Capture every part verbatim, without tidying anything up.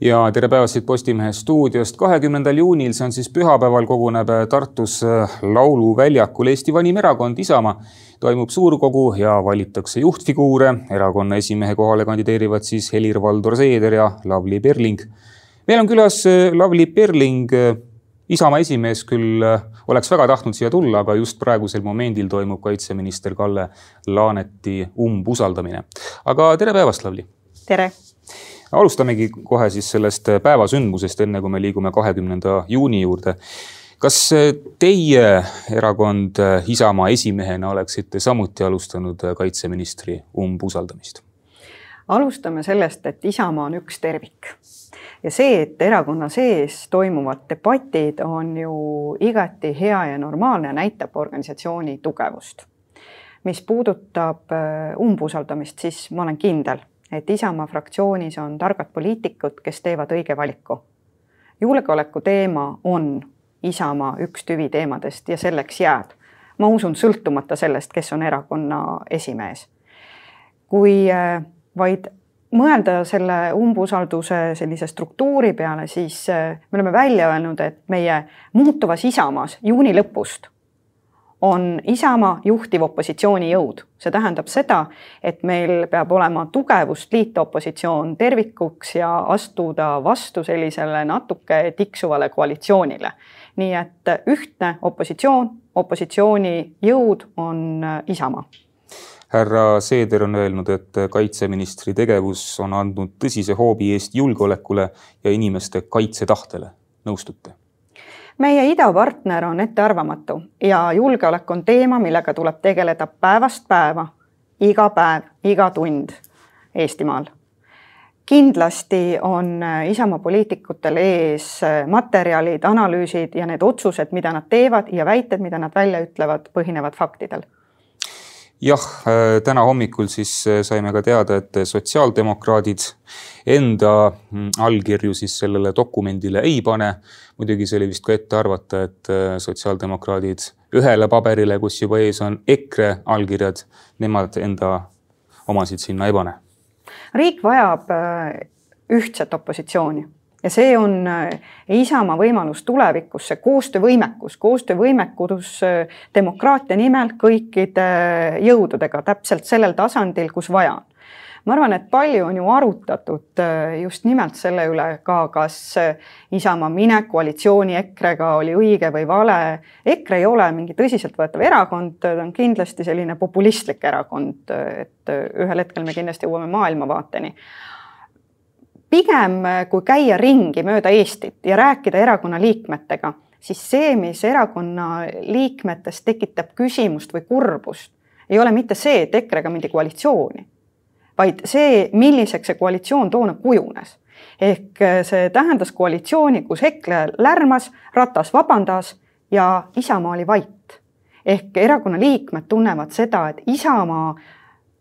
Ja tere päevast Postimehe stuudiost. kahekümnendal juunil, see on siis pühapäeval, koguneb Tartus lauluväljakul Eesti vanim erakond Isamaa. Toimub suurkogu ja valitakse juhtfiguure. Erakonna esimehe kohale kandideerivad siis Helir-Valdor Seeder ja Lavly Perling. Meil on külas Lavly Perling. Isamaa esimees küll oleks väga tahtnud siia tulla, aga just praegusel momendil toimub kaitseminister Kalle Laaneti umbusaldamine. Aga tere päevast, Lavly! Tere! Alustamegi kohe siis sellest päevasündmusest, enne kui me liigume kahekümnenda juuni juurde. Kas teie erakond Isamaa esimehena oleksite samuti alustanud kaitseministri umbusaldamist? Alustame sellest, et Isamaa on üks tervik. Ja see, et erakonna sees toimuvad debatid on ju igati hea ja normaalne, näitab organisatsiooni tugevust. Mis puudutab umbusaldamist, siis ma olen kindel, et Isamaa fraktsioonis on targad poliitikud, kes teevad õige valiku. Julgeoleku teema on Isamaa üks tüvi teemadest ja selleks jääb. Ma usun sõltumata sellest, kes on erakonna esimees. Kui vaid mõelda selle umbusalduse sellise struktuuri peale, siis me oleme välja öelnud, et meie muutuvas Isamaas juuni lõpust on Isamaa juhtiv opositsiooni jõud. See tähendab seda, et meil peab olema tugevust liita opositsioon tervikuks ja astuda vastu sellisele natuke tiksuvale koalitsioonile. Nii et ühtne opositsioon, opositsiooni jõud on Isamaa. Härra Seeder on öelnud, et kaitseministri tegevus on andnud tõsise hoobi Eesti julgeolekule ja inimeste kaitsetahtele. Nõustute? Meie idapartner on ettearvamatu ja julgeolek on teema, millega tuleb tegeleda päevast päeva, iga päev, iga tund Eestimaal. Kindlasti on Isamaa poliitikutel ees materjalid, analüüsid ja need otsused, mida nad teevad ja väited, mida nad välja ütlevad, põhinevad faktidel. Jah, täna hommikul siis saime ka teada, et sotsiaaldemokraadid enda allkirju siis sellele dokumendile ei pane. Muidugi see oli vist ka ette arvata, et sotsiaaldemokraadid ühele paberile, kus juba ees on EKRE allkirjad, nemad enda omasid sinna ei pane. Riik vajab ühtset opositsiooni. Ja see on Isamaa võimalus tulevikus, see koostöövõimekus, koostöövõimekus demokraatia nimel kõikide jõududega täpselt sellel tasandil, kus vaja on. Ma arvan, et palju on ju arutatud just nimelt selle üle ka, kas Isamaa minek koalitsiooni EKRE-ga oli õige või vale. EKRE ei ole mingi tõsiselt võetav erakond, ta on kindlasti selline populistlik erakond, et ühel hetkel me kindlasti jõuame maailmavaateni. Pigem kui käia ringi mööda Eestit ja rääkida erakonna liikmetega, siis see, mis erakonna liikmetest tekitab küsimust või kurbust, ei ole mitte see, et EKRE-ga mindi koalitsiooni, vaid see, milliseks see koalitsioon toona kujunes. Ehk see tähendas koalitsiooni, kus EKRE lärmas, Ratas vabandas ja Isamaa oli vait. Ehk erakonna liikmed tunnevad seda, et Isamaa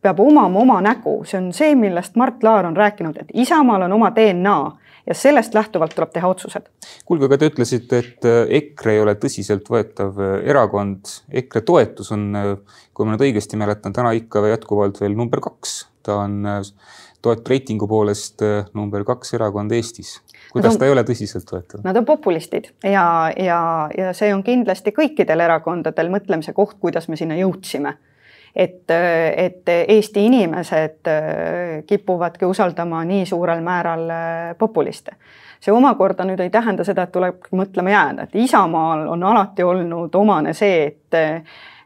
peab omama oma nägu. See on see, millest Mart Laar on rääkinud, et Isamaal on oma D N A ja sellest lähtuvalt tuleb teha otsused. Kuulge, aga te ütlesite, et EKRE ei ole tõsiselt võetav erakond. EKRE toetus on, kui ma nüüd õigesti mäletan, täna ikka jätkuvalt veel number kaks. Ta on toetreitingu poolest number kaks erakond Eestis. Kuidas on, ta ei ole tõsiselt võetav? Nad on populistid ja, ja, ja see on kindlasti kõikidel erakondadel mõtlemise koht, kuidas me sinna jõudsime. Et, et Eesti inimesed kipuvadki usaldama nii suurel määral populiste. See omakorda nüüd ei tähenda seda, et tuleb mõtlema jääda. Et Isamaal on alati olnud omane see, et,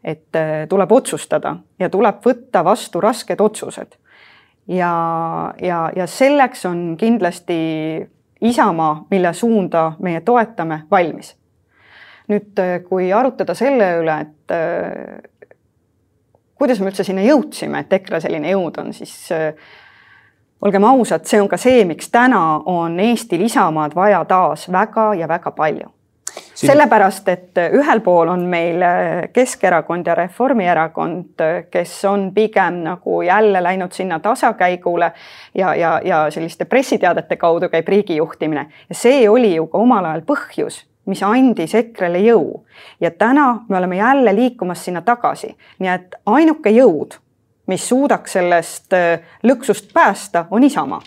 et tuleb otsustada ja tuleb võtta vastu rasked otsused. Ja, ja, ja selleks on kindlasti Isamaa, mille suunda meie toetame, valmis. Nüüd, kui arutada selle üle, et kuidas me üldse sinna jõudsime, et EKRE selline jõud on, siis äh, olgem ausad, see on ka see, miks täna on Eestil Isamaad vaja taas väga ja väga palju. Siin... Sellepärast, et ühel pool on meil Keskerakond ja Reformierakond, kes on pigem nagu jälle läinud sinna tasakäigule ja, ja, ja selliste pressiteadete kaudu käib riigi juhtimine. Ja see oli ju ka omal ajal põhjus, mis andis EKRE-le jõu. Ja täna me oleme jälle liikumas sinna tagasi. Nii et ainuke jõud, mis suudaks sellest lõksust päästa, on Isamaa.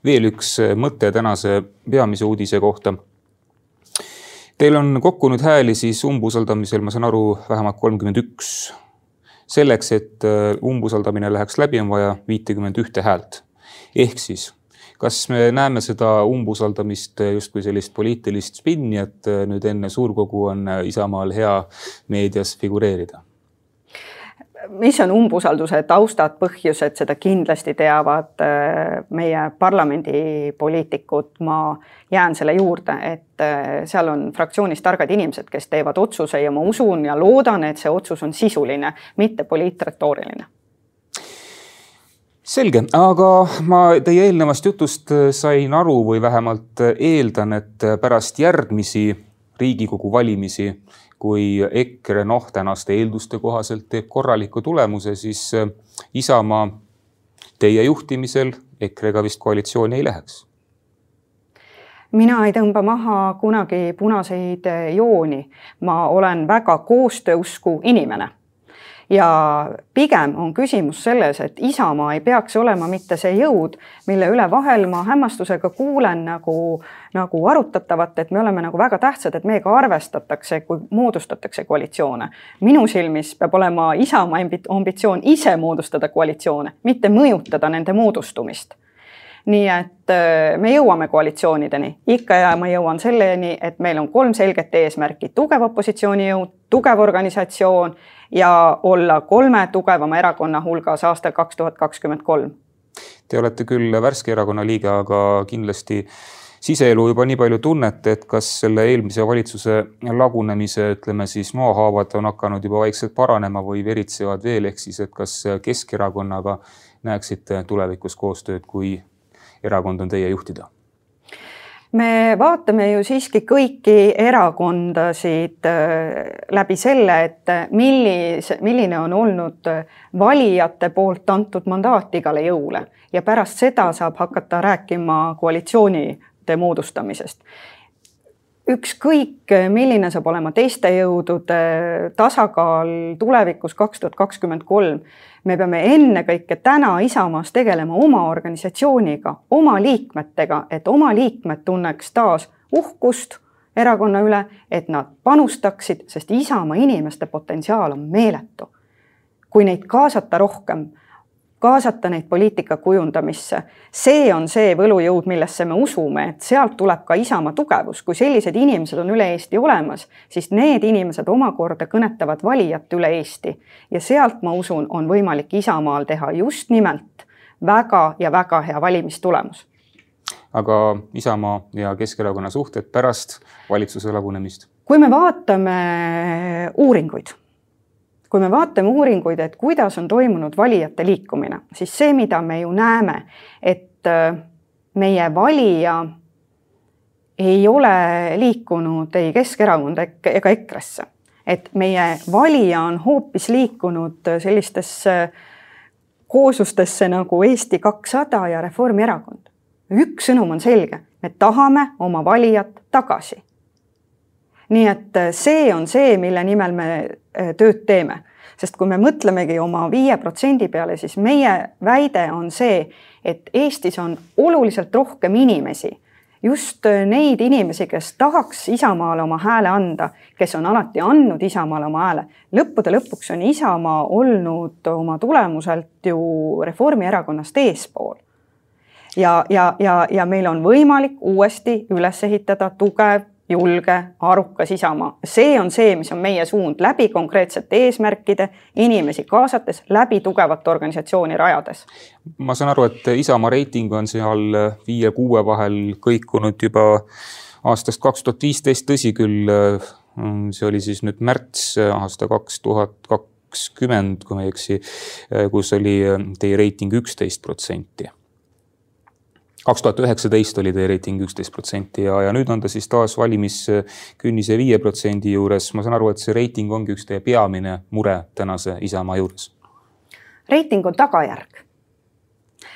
Veel üks mõte tänase peamise uudise kohta. Teil on kokku nüüd hääli siis umbusaldamisel, ma saan aru, vähemalt kolmkümmend üks. Selleks, et umbusaldamine läheks läbi, on vaja viitekümmend üks häält. Ehk siis, kas me näeme seda umbusaldamist just kui sellist poliitilist spinni, et nüüd enne suurkogu on Isamaal hea meedias figureerida? Mis on umbusalduse taustad, põhjused, seda kindlasti teavad meie parlamendipoliitikud. Ma jään selle juurde, et seal on fraktsioonis targad inimesed, kes teevad otsuse ja ma usun ja loodan, et see otsus on sisuline, mitte poliitretooriline. Selge, aga ma teie eelnevast jutust sain aru või vähemalt eeldan, et pärast järgmisi Riigikogu valimisi, kui EKRE noh tänaste eelduste kohaselt teeb korraliku tulemuse, siis Isamaa teie juhtimisel EKRE-ga vist koalitsiooni ei läheks. Mina ei tõmba maha kunagi punaseid jooni. Ma olen väga koostööusku inimene. Ja pigem on küsimus selles, et Isamaa ei peaks olema mitte see jõud, mille üle vahel ma hämmastusega kuulen nagu, nagu arutatavat, et me oleme nagu väga tähtsad, et meiega arvestatakse, kui moodustatakse koalitsioone. Minu silmis peab olema Isamaa ambitsioon ise moodustada koalitsioone, mitte mõjutada nende moodustumist. Nii et me jõuame koalitsioonideni. Ikka ja ma jõuan selleni, et meil on kolm selget eesmärki. Tugev opositsiooni jõud, tugev organisatsioon ja olla kolme tugevama erakonna hulgas aastal kaks tuhat kakskümmend kolm. Te olete küll värske erakonna liige, aga kindlasti siseelu juba nii palju tunnete, et kas selle eelmise valitsuse lagunemise, ütleme siis maahaavad on hakanud juba vaikselt paranema või veritsevad veel, ehk siis, et kas Keskerakonnaga näeksite tulevikus koostööd, kui erakond on teie juhtida? Me vaatame ju siiski kõiki erakondasid läbi selle, et millise, milline on olnud valijate poolt antud mandaat igale jõule ja pärast seda saab hakata rääkima koalitsioonide moodustamisest. Ükskõik, milline saab olema teiste jõudude tasakaal tulevikus kaks tuhat kakskümmend kolm, me peame enne kõike täna Isamaas tegelema oma organisatsiooniga, oma liikmetega, et oma liikmed tunneks taas uhkust erakonna üle, et nad panustaksid, sest Isamaa inimeste potentsiaal on meeletu. Kui neid kaasata rohkem, kaasata neid poliitika kujundamisse, see on see võlujõud, millesse me usume, et sealt tuleb ka Isamaa tugevus. Kui sellised inimesed on üle Eesti olemas, siis need inimesed omakorda kõnetavad valijat üle Eesti. Ja sealt, ma usun, on võimalik Isamaal teha just nimelt väga ja väga hea valimistulemus. Aga Isamaa ja Keskerakonna suhted pärast valitsuse lagunemist? Kui me vaatame uuringuid, Kui me vaatame uuringuid, et kuidas on toimunud valijate liikumine, siis see, mida me ju näeme, et meie valija ei ole liikunud ei Keskerakonda ega EKRE-sse. Et meie valija on hoopis liikunud sellistesse kooslustesse nagu Eesti kakssada ja Reformierakond. Üks sõnum on selge, me tahame oma valijat tagasi. Nii et see on see, mille nimel me tööd teeme. Sest kui me mõtlemegi oma viie protsendi peale, siis meie väide on see, et Eestis on oluliselt rohkem inimesi. Just neid inimesi, kes tahaks Isamaale oma hääle anda, kes on alati andnud Isamaale oma hääle. Lõppude lõpuks on Isamaa olnud oma tulemuselt ju Reformierakonnast eespool. Ja, ja, ja, ja meil on võimalik uuesti üles ehitada tugev, julge, arukas Isamaa. See on see, mis on meie suund läbi konkreetsete eesmärkide, inimesi kaasates, läbi tugevat organisatsiooni rajades. Ma saan aru, et Isamaa reiting on seal viie kuue vahel kõikunud juba aastast kaks tuhat viisteist, tõsi küll, see oli siis nüüd märts aasta kaks tuhat kakskümmend, kui ma ei eksi, kus oli teie reiting üksteist protsenti. kaks tuhat üheksateist oli teie reiting üksteist protsenti ja, ja nüüd on ta siis taas valimiskünnise viie protsendi juures. Ma saan aru, et see reiting ongi üks teie peamine mure tänase Isamaa juures. Reiting on tagajärg.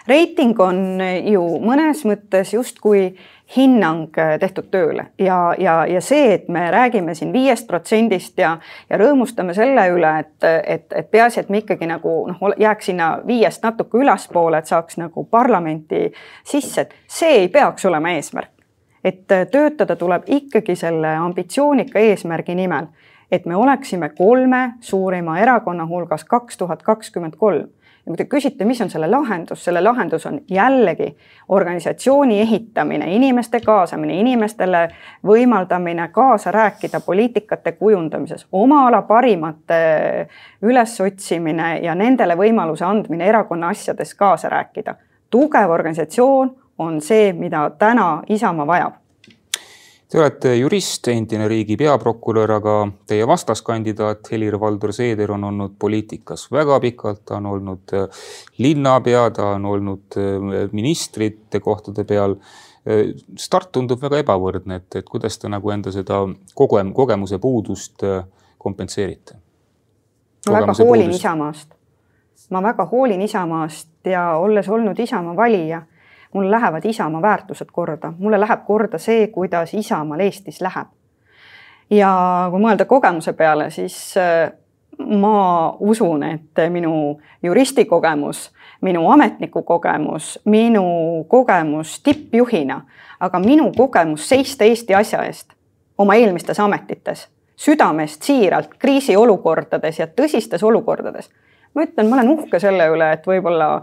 Reiting on ju mõnes mõttes just kui hinnang tehtud tööle ja, ja, ja see, et me räägime siin viiest protsendist ja, ja rõõmustame selle üle, et, et, et peaasi, et me ikkagi nagu noh, jääks sinna viiest natuke ülaspoole, et saaks nagu parlamenti sisse, et see ei peaks olema eesmärk. Et töötada tuleb ikkagi selle ambitsioonika eesmärgi nimel, et me oleksime kolme suurima erakonna hulgas kaks tuhat kakskümmend kolm. Ja kui te küsite, mis on selle lahendus, selle lahendus on jällegi organisatsiooni ehitamine, inimeste kaasamine, inimestele võimaldamine kaasa rääkida poliitikate kujundamises, oma ala parimate ülesotsimine ja nendele võimaluse andmine erakonna asjades kaasa rääkida. Tugev organisatsioon on see, mida täna Isamaa vajab. Te olete jurist, endine riigi peaprokurör, aga teie vastaskandidaat Helir-Valdor Seeder on olnud poliitikas väga pikalt, ta on olnud linnapea, ta on olnud ministrite kohtade peal. Start tundub väga ebavõrdne, et, et kuidas te nagu enda seda kogem, kogemuse puudust kompenseerite? Ma väga hoolin puudust. Isamaast. Ma väga hoolin Isamaast ja olles olnud Isamaa valija, mulle lähevad Isamaa väärtused korda. Mulle läheb korda see, kuidas Isamaal Eestis läheb. Ja kui mõelda kogemuse peale, siis ma usun, et minu juristi kogemus, minu ametniku kogemus, minu kogemus tippjuhina, aga minu kogemus seista Eesti asja eest oma eelmistes ametites, südamest siiralt, kriisiolukordades ja tõsistes olukordades. Ma ütlen, ma olen uhke selle üle, et võib-olla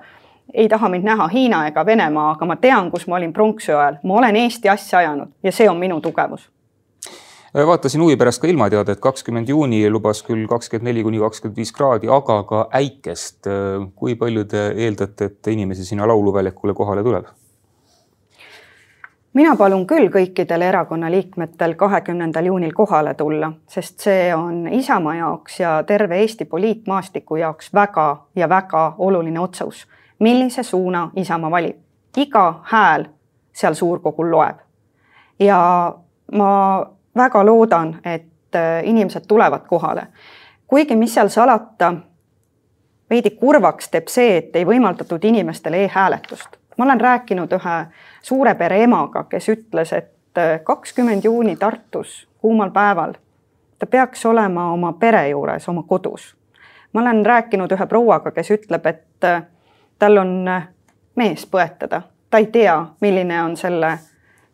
ei taha mind näha Hiina ega Venemaa, aga ma tean, kus ma olin pronksi ajal. Ma olen Eesti asja ajanud ja see on minu tugevus. Vaatasin huvi pärast ka ilmateada, et kakskümmend juuni lubas küll kakskümmend neli kuni kakskümmend viis kraadi, aga ka äikest. Kui palju te eeldate, et inimesi sinna lauluväljakule kohale tuleb? Mina palun küll kõikidel erakonna liikmetel kahekümnendal juunil kohale tulla, sest see on Isamaa jaoks ja terve Eesti poliitmaastiku jaoks väga ja väga oluline otsus. Millise suuna Isamaa valib. Iga hääl seal suurkogul loeb. Ja ma väga loodan, et inimesed tulevad kohale. Kuigi mis seal salata, veidi kurvaks teeb see, et ei võimaldatud inimestele e-hääletust. Ma olen rääkinud ühe suure pere emaga, kes ütles, et kakskümmend juuni Tartus kuumal päeval ta peaks olema oma pere juures, oma kodus. Ma olen rääkinud ühe prouaga, kes ütleb, et tal on mees põetada. Ta ei tea, milline on selle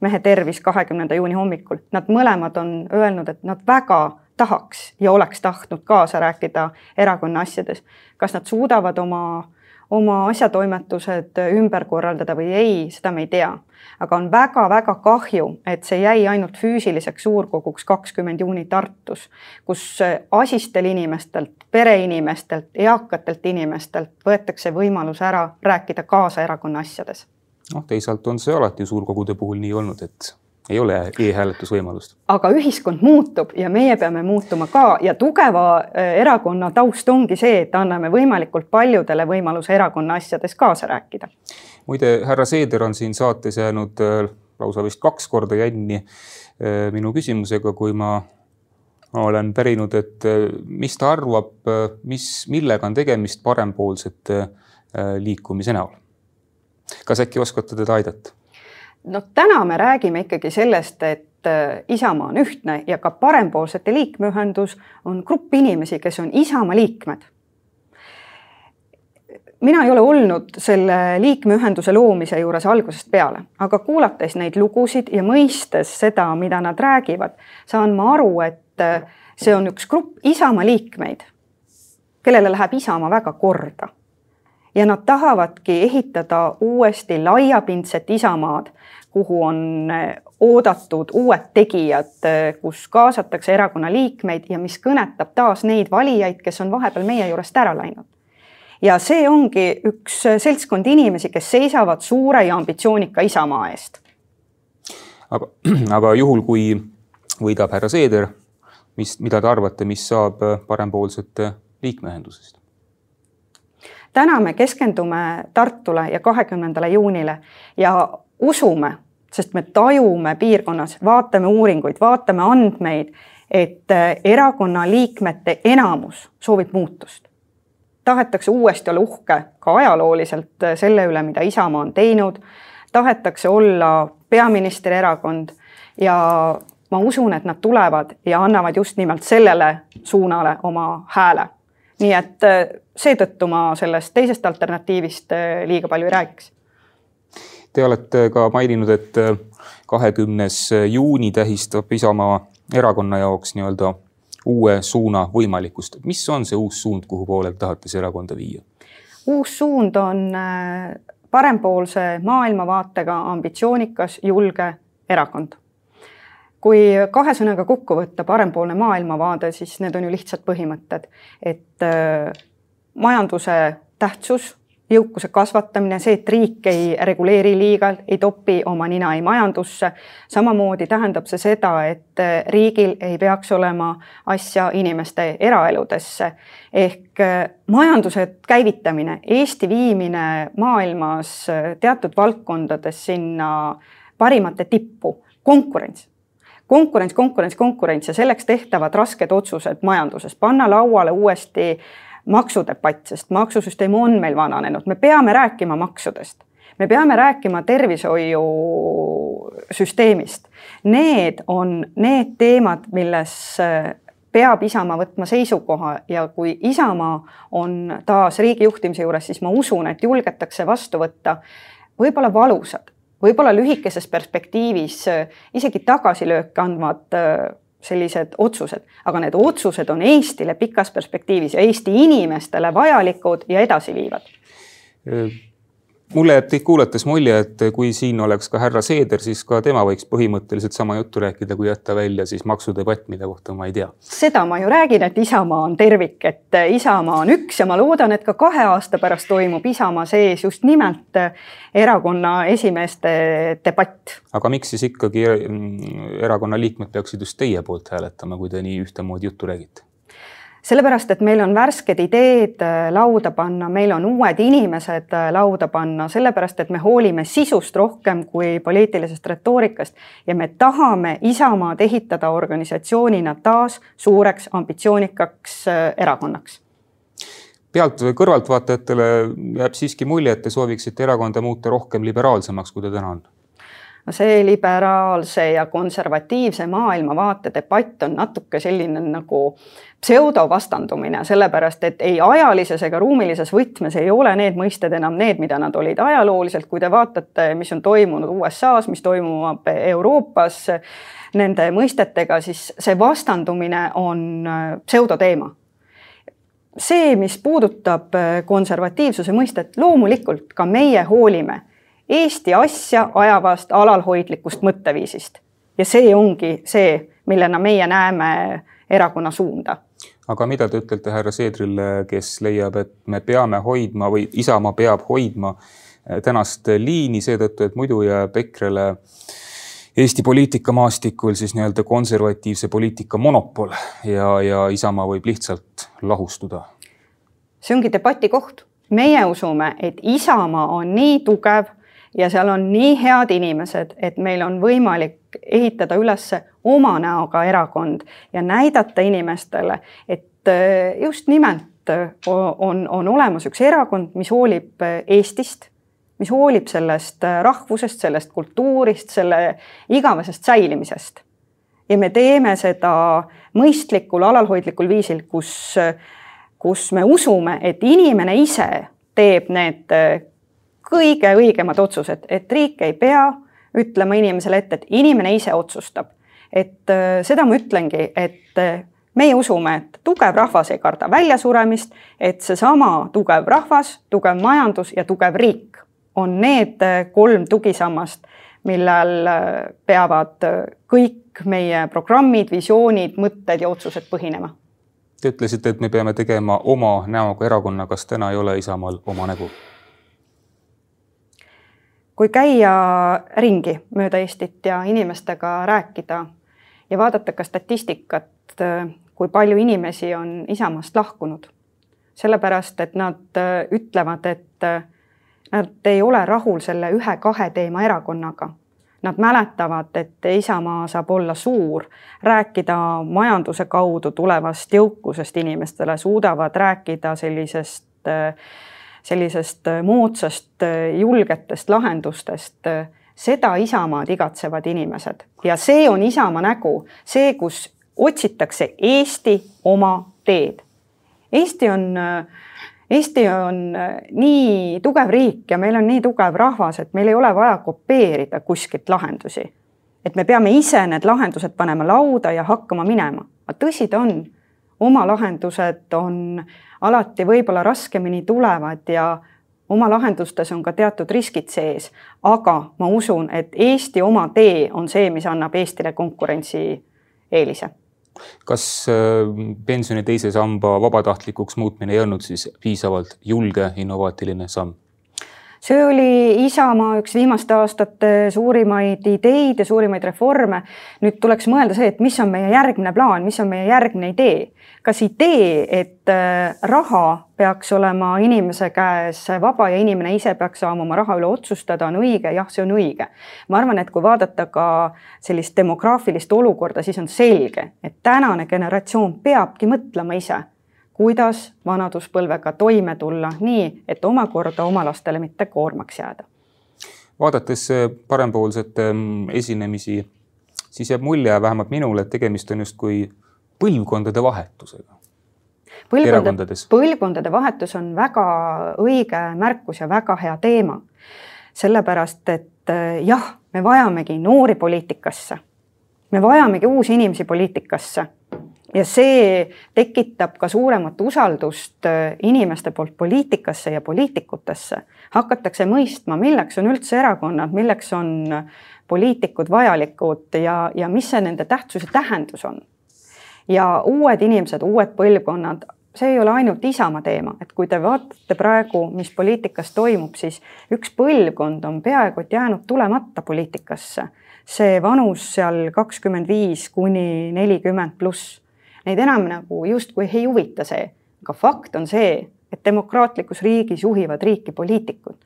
mehe tervis kahekümnenda juuni hommikul. Nad mõlemad on öelnud, et nad väga tahaks ja oleks tahtnud kaasa rääkida erakonna asjades. Kas nad suudavad oma, oma asjatoimetused ümber korraldada või ei, seda me ei tea. Aga on väga-väga kahju, et see jäi ainult füüsiliseks suurkoguks kakskümmend juuni Tartus, kus asistel inimestelt, pereinimestelt, eakatelt inimestelt võetakse võimalus ära rääkida kaasa erakonna asjades. No, teisalt on see alati suurkogude puhul nii olnud, et ei ole e-hääletusvõimalust. Aga ühiskond muutub ja meie peame muutuma ka ja tugeva erakonna taust ongi see, et anname võimalikult paljudele võimaluse erakonna asjades kaasa rääkida. Muide, härra Seeder on siin saates jäänud lausa vist kaks korda jänni minu küsimusega, kui ma olen pärinud, et mis ta arvab, mis, millega on tegemist parempoolsete liikumise näol. Kas äkki oskate teda aidata? No täna me räägime ikkagi sellest, et Isamaa on ühtne ja ka parempoolsete liikmeühendus on grupp inimesi, kes on Isamaa liikmed. Mina ei ole olnud selle liikmeühenduse loomise juures algusest peale, aga kuulates neid lugusid ja mõistes seda, mida nad räägivad, saan ma aru, et see on üks grupp Isamaa liikmeid, kellele läheb Isamaa väga korda. Ja nad tahavadki ehitada uuesti laiapindset Isamaad, kuhu on oodatud uued tegijad, kus kaasatakse erakonna liikmeid ja mis kõnetab taas neid valijaid, kes on vahepeal meie juurest ära läinud. Ja see ongi üks seltskond inimesi, kes seisavad suure ja ambitsioonika Isamaa eest. Aga, aga juhul, kui võidab härra Seeder, mis, mida te arvate, mis saab parempoolsete liikmeühendusest? Täna me keskendume Tartule ja kahekümnendale juunile ja usume, sest me tajume piirkonnas, vaatame uuringuid, vaatame andmeid, et erakonna liikmete enamus soovib muutust. Tahetakse uuesti olla uhke ka ajalooliselt selle üle, mida Isamaa on teinud. tahetakse olla peaministri erakond ja ma usun, et nad tulevad ja annavad just nimelt sellele suunale oma hääle. Nii et seetõttu ma sellest teisest alternatiivist liiga palju ei räägiks. Te olete ka maininud, et kahekümnes juuni tähistab Isamaa erakonna jaoks nii-öelda uue suuna võimalikkust. Mis on see uus suund, kuhu poole tahate see erakonda viia? Uus suund on parempoolse maailmavaatega ambitsioonikas, julge erakond. Kui kahe sõnaga kokku võtta parempoolne maailmavaade, siis need on ju lihtsad põhimõtted, et majanduse tähtsus, jõukuse kasvatamine, see, et riik ei reguleeri liiga, ei topi oma nina ei majandusse. Samamoodi tähendab see seda, et riigil ei peaks olema asja inimeste eraeludesse. Ehk majanduse käivitamine, Eesti viimine maailmas teatud valdkondades sinna parimate tippu, konkurents. Konkurents, konkurents, konkurents ja selleks tehtavad rasked otsused majanduses. Panna lauale uuesti maksudepatt, sest maksusüsteem on meil vananenud. Me peame rääkima maksudest. Me peame rääkima tervishoiusüsteemist. Need on need teemad, milles peab Isamaa võtma seisukoha ja kui Isamaa on taas riigi juhtimise juures, siis ma usun, et julgetakse vastu võtta võib-olla valusad. Võib-olla lühikeses perspektiivis isegi tagasilööke andvad sellised otsused, aga need otsused on Eestile pikas perspektiivis ja Eesti inimestele vajalikud ja edasi viivad. Mulle jääb teid kuulates mulje, et kui siin oleks ka härra Seeder, siis ka tema võiks põhimõtteliselt sama juttu rääkida, kui jätta välja siis maksudebatt, mida kohta ma ei tea. Seda ma ju räägin, et Isamaa on tervik, et Isamaa on üks ja ma loodan, et ka kahe aasta pärast toimub Isamaa sees just nimelt erakonna esimeeste debatt. Aga miks siis ikkagi erakonna liikmed peaksid just teie poolt hääletama, kui te nii ühtemoodi juttu räägite? Sellepärast, et meil on värsked ideed lauda panna, meil on uued inimesed lauda panna, sellepärast, et me hoolime sisust rohkem kui poliitilisest retoorikast ja me tahame Isamaad ehitada organisatsioonina taas suureks ambitsioonikaks erakonnaks. Pealt kõrvaltvaatajatele jääb siiski mulje, et te sooviksite erakonda muuta rohkem liberaalsemaks, kui ta täna on. See liberaalse ja konservatiivse maailmavaate debatt on natuke selline nagu pseudovastandumine, sellepärast, et ei ajalises ega ruumilises võtmes ei ole need mõisted enam need, mida nad olid ajalooliselt. Kui te vaatate, mis on toimunud U S A-s, mis toimub Euroopas nende mõistetega, siis see vastandumine on pseudoteema. See, mis puudutab konservatiivsuse mõistet, loomulikult ka meie hoolime Eesti asja ajavast alalhoidlikust mõtteviisist. Ja see ongi see, millena meie näeme erakonna suunda. Aga mida te ütlete härra Seedrile, kes leiab, et me peame hoidma või Isamaa peab hoidma tänast liini seetõttu, et muidu jääb Ekrele Eesti poliitikamaastikul siis nii-öelda konservatiivse poliitika monopol ja, ja Isamaa võib lihtsalt lahustuda? See ongi debati koht. Meie usume, et Isamaa on nii tugev ja seal on nii head inimesed, et meil on võimalik ehitada üles oma näoga erakond ja näidata inimestele, et just nimelt on, on olemas üks erakond, mis hoolib Eestist, mis hoolib sellest rahvusest, sellest kultuurist, selle igavesest säilimisest. Ja me teeme seda mõistlikul, alalhoidlikul viisil, kus, kus me usume, et inimene ise teeb need kõige õigemad otsused, et riik ei pea ütlema inimesele ette, et inimene ise otsustab. Et seda ma ütlengi, et meie usume, et tugev rahvas ei karda väljasuremist, et see sama tugev rahvas, tugev majandus ja tugev riik on need kolm tugisammast, millel peavad kõik meie programmid, visioonid, mõtted ja otsused põhinema. Te ütlesite, et me peame tegema oma näoga erakonna, kas täna ei ole Isamaal oma nägu? Kui käia ringi mööda Eestit ja inimestega rääkida ja vaadata ka statistikat, kui palju inimesi on Isamaast lahkunud. Sellepärast, et nad ütlevad, et nad ei ole rahul selle ühe-kahe teema erakonnaga. Nad mäletavad, et Isamaa saab olla suur, rääkida majanduse kaudu tulevast jõukusest inimestele, suudavad rääkida sellisest sellisest moodsast julgetest lahendustest, seda Isamaad igatsevad inimesed. Ja see on Isamaa nägu, see, kus otsitakse Eesti oma teed. Eesti on, Eesti on nii tugev riik ja meil on nii tugev rahvas, et meil ei ole vaja kopeerida kuskilt lahendusi. Et me peame ise need lahendused panema lauda ja hakkama minema. Aga tõsi ta on, oma lahendused on alati võib-olla raskemini tulevad ja oma lahendustes on ka teatud riskid sees, aga ma usun, et Eesti oma tee on see, mis annab Eestile konkurentsi eelise. Kas pensioni teise samba vabatahtlikuks muutmine ei olnud siis piisavalt julge innovaatiline samm? See oli Isamaa üks viimaste aastate suurimaid ideid ja suurimaid reforme. Nüüd tuleks mõelda see, et mis on meie järgmine plaan, mis on meie järgmine idee. Kas idee, et raha peaks olema inimese käes vaba ja inimene ise peaks saama oma raha üle otsustada, on õige? Jah, see on õige. Ma arvan, et kui vaadata ka sellist demograafilist olukorda, siis on selge, et tänane generatsioon peabki mõtlema ise, kuidas vanaduspõlvega toime tulla nii, et omakorda oma lastele mitte koormaks jääda. Vaadates parempoolsete esinemisi, siis jääb mulje vähemalt minule, et tegemist on just kui põlvkondade vahetusega. Põlvkondade, põlvkondade vahetus on väga õige märkus ja väga hea teema. Sellepärast, et jah, me vajamegi noori poliitikasse. Me vajamegi uusi inimesi poliitikasse. Ja see tekitab ka suuremat usaldust inimeste poolt poliitikasse ja poliitikutesse. Hakatakse mõistma, milleks on üldse erakonnad, milleks on poliitikud vajalikud ja, ja mis see nende tähtsuse tähendus on. Ja uued inimesed, uued põlvkonnad, see ei ole ainult Isamaa teema. Et kui te vaatate praegu, mis poliitikas toimub, siis üks põlvkond on peaaegu et jäänud tulemata poliitikasse. See vanus seal kakskümmend viis kuni nelikümmend pluss. Neid enam nagu just kui ei huvita see. Aga fakt on see, et demokraatlikus riigis juhivad riiki poliitikud.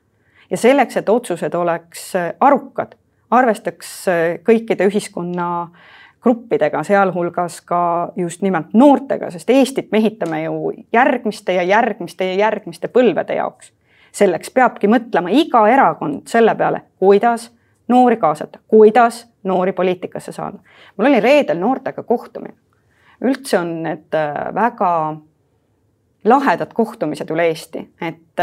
Ja selleks, et otsused oleks arukad, arvestaks kõikide ühiskonna gruppidega, sealhulgas ka just nimelt noortega, sest Eestit mehitame ju järgmiste ja järgmiste ja järgmiste põlvede jaoks. Selleks peabki mõtlema iga erakond selle peale, kuidas noori kaasata, kuidas noori poliitikasse saada. Mul oli reedel noortega kohtumine. Üldse on need väga lahedad kohtumised üle Eesti, et,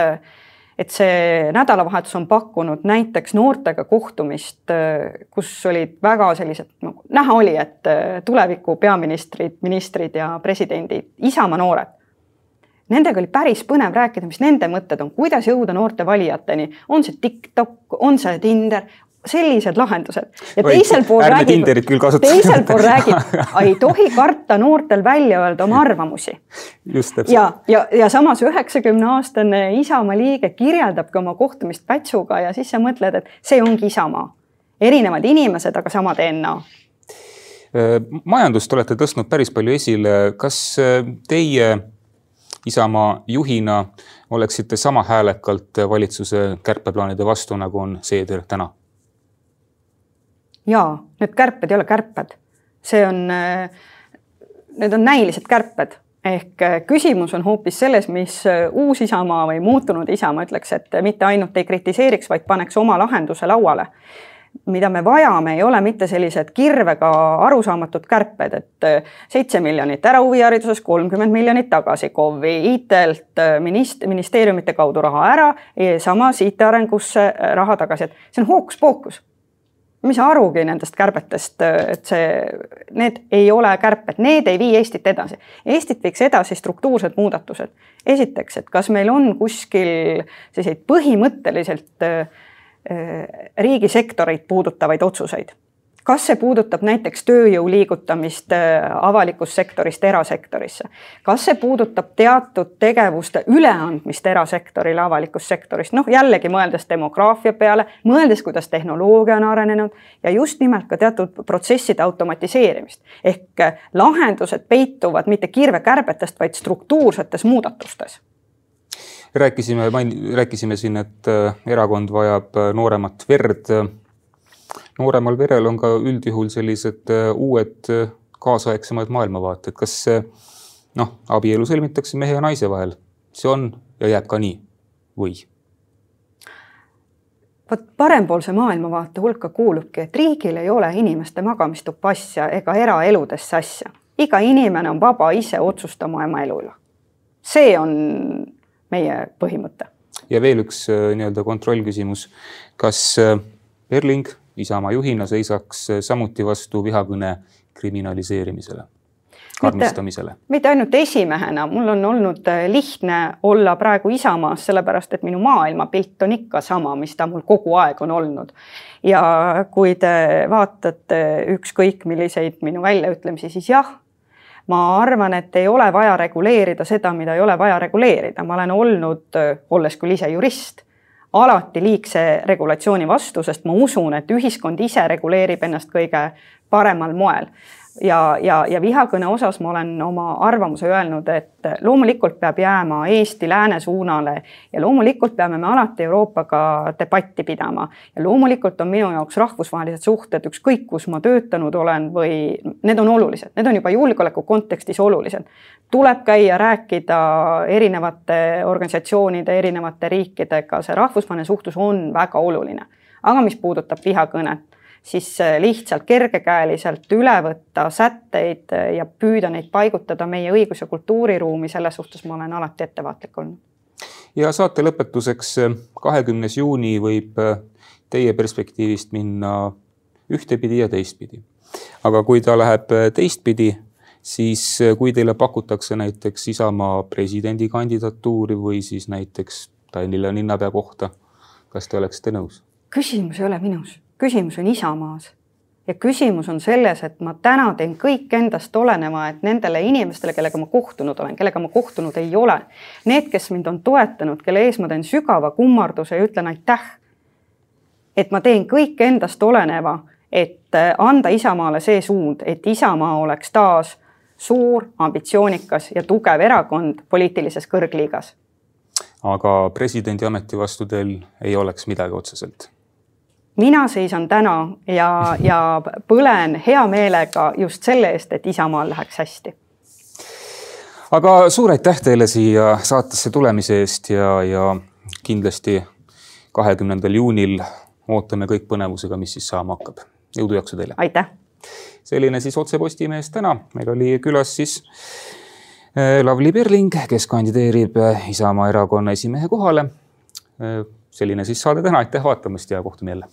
et see nädalavahetus on pakkunud näiteks noortega kohtumist, kus olid väga sellised, nagu näha oli, et tuleviku peaministrid, ministrid ja presidendid, Isamaa noored. Nendega oli päris põnev rääkida, mis nende mõtted on, kuidas jõuda noorte valijateni, on see TikTok, on see Tinder, sellised lahendused. Ja teisel pool Ärme räägib, Tinderit küll kasutada. Teisel pool räägib, ei tohi karta noortel välja öelda oma arvamusi. Just ja, ja, ja samas üheksakümne aastane Isamaa liige kirjeldabki oma kohtumist Pätsuga ja siis sa mõtled, et see ongi Isamaa. Erinevad inimesed, aga sama D N A. Majandust olete tõstnud päris palju esile. Kas teie Isamaa juhina oleksite sama häälekalt valitsuse kärpeplaanide vastu, nagu on Seeder täna? Jaa, need kärped ei ole kärped. See on, need on näilised kärped. Ehk küsimus on hoopis selles, mis uus Isamaa või muutunud Isamaa ütleks, et mitte ainult ei kritiseeriks, vaid paneks oma lahenduse lauale. Mida me vajame, ei ole mitte sellised kirvega arusaamatud kärped, et seitse miljonit ära huvihariduses, kolmkümmend miljonit tagasi K O V-i, I T-lt ministeeriumite kaudu raha ära, samas I T-arengusse raha tagasi. Et see on hookus-pookus. Mis arugi nendest kärbetest, et see, need ei ole kärped, need ei vii Eestit edasi. Eestit viiks edasi struktuursed muudatused. Esiteks, et kas meil on kuskil selliseid põhimõtteliselt riigisektoreid puudutavaid otsuseid. Kas see puudutab näiteks tööjõu liigutamist avalikust sektorist erasektorisse? Kas see puudutab teatud tegevuste üleandmist erasektorile avalikust sektorist? Noh, jällegi mõeldes demograafia peale, mõeldes, kuidas tehnoloogia on arenenud ja just nimelt ka teatud protsesside automatiseerimist. Ehk lahendused peituvad mitte kirvekärbetest, vaid struktuursetes muudatustes. Rääkisime, rääkisime siin, et erakond vajab nooremat verd. Nooremal verel on ka üldjuhul sellised uued kaasaegsemad maailmavaated. Kas noh, abielu sõlmitakse mehe ja naise vahel? See on ja jääb ka nii. või? Vot parempoolse maailmavaate hulka kuulubki, et riigil ei ole inimeste magamistuppa asja ega eraeludesse asja. Iga inimene on vaba ise otsustama oma elu üle. See on meie põhimõte. Ja veel üks nii-öelda kontrollküsimus. Kas Perling Isamaa juhina seisaks samuti vastu vihakõne kriminaliseerimisele, karmistamisele? Mitte, mitte ainult esimehena. Mul on olnud lihtne olla praegu Isamaas, sellepärast et minu maailmapilt on ikka sama, mis ta mul kogu aeg on olnud. Ja kui te vaatate ükskõik milliseid minu väljaütlemisi, siis jah, ma arvan, et ei ole vaja reguleerida seda, mida ei ole vaja reguleerida. Ma olen olnud, olles küll ise jurist, alati liigse regulatsiooni vastu, sest ma usun, et ühiskond ise reguleerib ennast kõige paremal moel. Ja, ja, ja vihakõne osas ma olen oma arvamuse öelnud, et loomulikult peab jääma Eesti lääne suunale ja loomulikult peame me alati Euroopaga debatti pidama. Ja loomulikult on minu jaoks rahvusvahelised suhted, ükskõik kus ma töötanud olen või need on olulised. Need on juba julgeoleku kontekstis olulised. Tuleb käia rääkida erinevate organisatsioonide, erinevate riikidega. See rahvusvaheline suhtlus on väga oluline. Aga mis puudutab vihakõnet, siis lihtsalt kergekäeliselt üle võtta sätteid ja püüda neid paigutada meie õigus- ja kultuuriruumi, selles suhtes ma olen alati ettevaatlik olnud. Ja saate lõpetuseks kahekümnes juuni võib teie perspektiivist minna ühtepidi ja teistpidi. Aga kui ta läheb teistpidi, siis kui teile pakutakse näiteks Isamaa presidendi kandidatuuri või siis näiteks Tallinna linnapea kohta, kas te oleksite nõus? Küsimus ei ole minus. Küsimus on Isamaas. Ja küsimus on selles, et ma täna teen kõik endast oleneva, et nendele inimestele, kellega ma kohtunud olen, kellega ma kohtunud ei ole, need, kes mind on toetanud, kelle ees ma teen sügava kummarduse ja ütlen aitäh, et ma teen kõik endast oleneva, et anda Isamaale see suund, et Isamaa oleks taas suur, ambitsioonikas ja tugev erakond poliitilises kõrgliigas. Aga presidendi ameti vastu teil ei oleks midagi otseselt? Mina seisan täna ja, ja põlen hea meelega just selle eest, et Isamaal läheks hästi. Aga suur aitäh teile siia saatesse tulemise eest ja, ja kindlasti kahekümnendal juunil ootame kõik põnevusega, mis siis saama hakkab. Jõudu jaksu teile. Aitäh. Selline siis otse Postimees täna. Meil oli külas siis Lavly Perling, kes kandideerib Isamaa erakonna esimehe kohale. Selline siis saade täna. Aitäh vaatamast ja kohtume jälle.